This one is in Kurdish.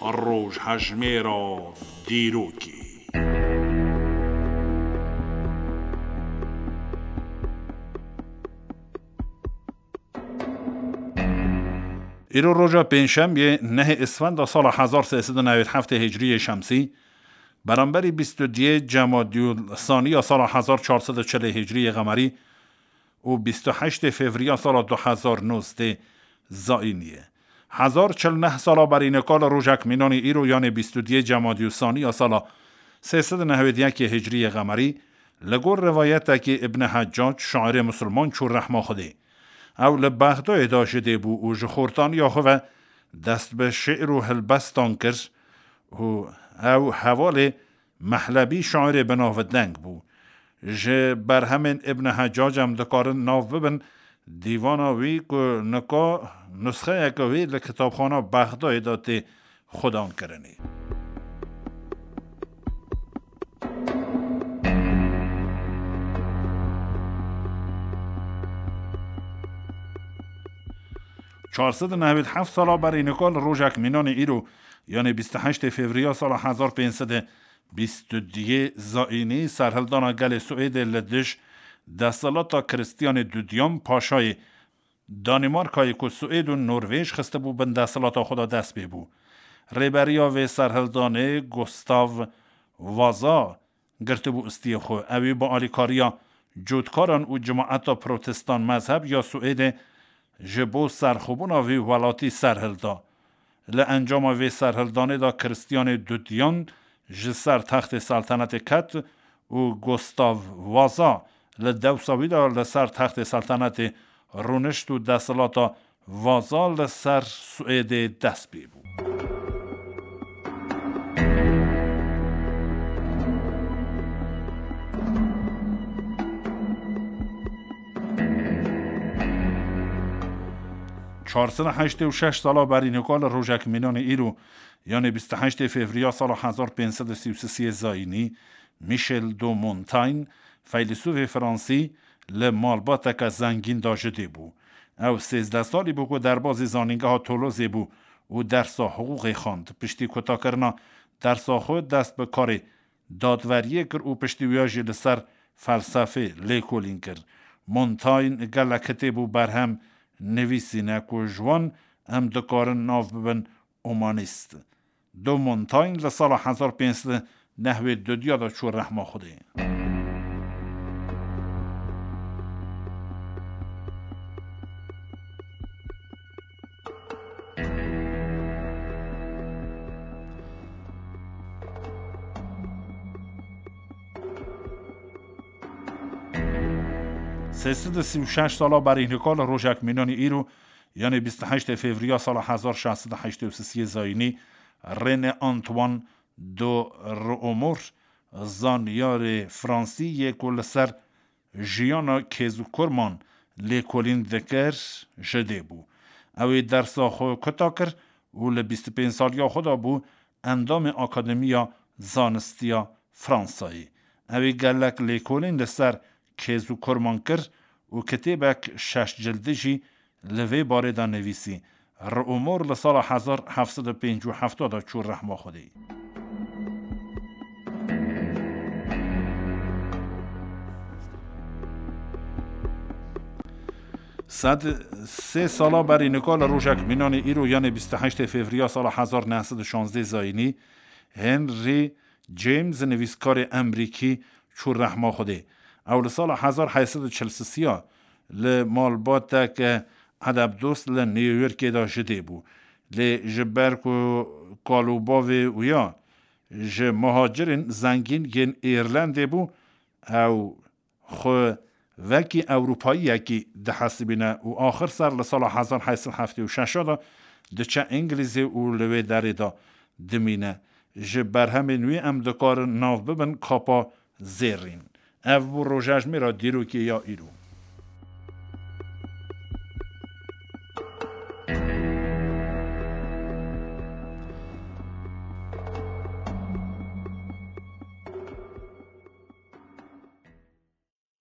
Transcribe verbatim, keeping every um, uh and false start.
Rojhejmêra dîrokê. Îro roja pêncşemiyê nehê Isfenda sala hezar sê sed û newêd heftê Hicriyê Şemsî, beramberî bîst û duyê Cemadîl Saniya sala hezar çar sed û çilê Hicriyê Qemerî û bîst û heştê Fevriya sala du hezar nozdeh Zayîniyê. Hezar çil neh sala berî nika li rojek mînanî îro, yanê bîst û duyê Cemadîl Saniya sala sê sed û newêd yekê Hicriyê Qemerî, li gor rivayetekî Ibn Heccac, şairê misilman, çû rehma Xwedê. Ew li Bexdayê de ji dê bû û ji xortaniya xwe ve dest bi şi'r û hilbestan kir û ew hevalê Mehlebî şairê bi navdeng bû. Ji berhemên Ibn Heccac em dikarin nav bibin dîvana wî ku nika nusxeyeke wî li kitabxana Bexdayê de tê xwedan kirinê. Çar sed û newêd heft sala berî nika li rojek mînanê îro, yanê bîst û heştê Fevriya sala hezar pênc sed û bîst û duyê Zayînî, serhildana gelê Swêdê li dij desthilata Kristiyanê Dudiyan, paşayê Danîmarkayê ku Swêd û Norvêj xistibû bin desthilata xwe de, dest pê bû. Rêberiya vê serhildanê Gustav Vaza girtibû istiyê xwe. Ew ê bi alîkariya cotkaran û cemaeta protestan mezheb ya Swêdê ji bo serxwebûna vê welatî serhilda. Li encama vê serhildanê de Kristiyanê Dudiyan ji ser textê seltenetê ket û Gustav Vaza li dewsa wî de li ser textê seltenetê rûnişt û desthilata Vaza li ser Swêdê dest pê bû. Çar sed û heştê û şeş sala berî nika li rojek mînanê îro, yanê bîst û heştê Fevriya sala hezar pênc sed û sî û sisê Zayînî, Michel de Montaigne, feylesûfê fransî, li malbateke zengîn de ji dê bû. Ew sêzdeh salî bû ku derbazî zanîngeha Tolozê bû û dersa hiqûqê xwend. Piştî kutakirina dersa xwe dest bi karê dadweriyê kir û piştî wiya jî li ser felsefê lêkolîn kir. Montaigne gelek kitêb û berhem nivîsîne ku ji wan em dikarin nav bibin humanîst. De Montaigne li sala hezar pênc sed û newêd û duya de çû rehma Xwedê. Sê sed û sî û şeş sala berî nika li rojek mînanî îro, yanê bîst û heştê Fevriya sala hezar şeş sed û heştê û sisê Zayînî, René Antoine de Réaumur, zanyarê fransî yê ku li ser jiyana kêz û kurman lêkolîn dikir, ji dê bû. Ew ê dersa xwe kuta kir û li bîst û pênc saliya xwe de bû endamê Akademiya Zanistiya Fransayê. Ew ê gelek lêkolîn li ser kêz û kurman kir û kitêbek şeş cildî jî li vê barê de nivîsî. Réaumur li sala hezar heft sed û pêncî û heft de çû rehma Xwedê. Sed sê sala berî nika li rojek mînanê îro, yanê bîst û heştê Fevriya sala hezar neh sed û şazdeh Zayînî, Henry James, nivîskarê Emerîkî, çû rehma Xwedê. Ew li sala hezar heyt sed û çil sisiya li malbatek edebdost li New Yorkê de ji dê bû. Lê ji ber ku kal û bavê wî ya ji muhacirên zengîn yên Îrlandê bû, ew xwe wekî Ewropayiyekî dihesibîne û axir ser li sala hezar heyt sed heftê û şeş de diçe Îngilîzê û li wê derê de dimîne. Ji berhemên wî em dikarin nav bibin Kapa Zêrîn. Ev bû rojejmêra dîrokê ya îro.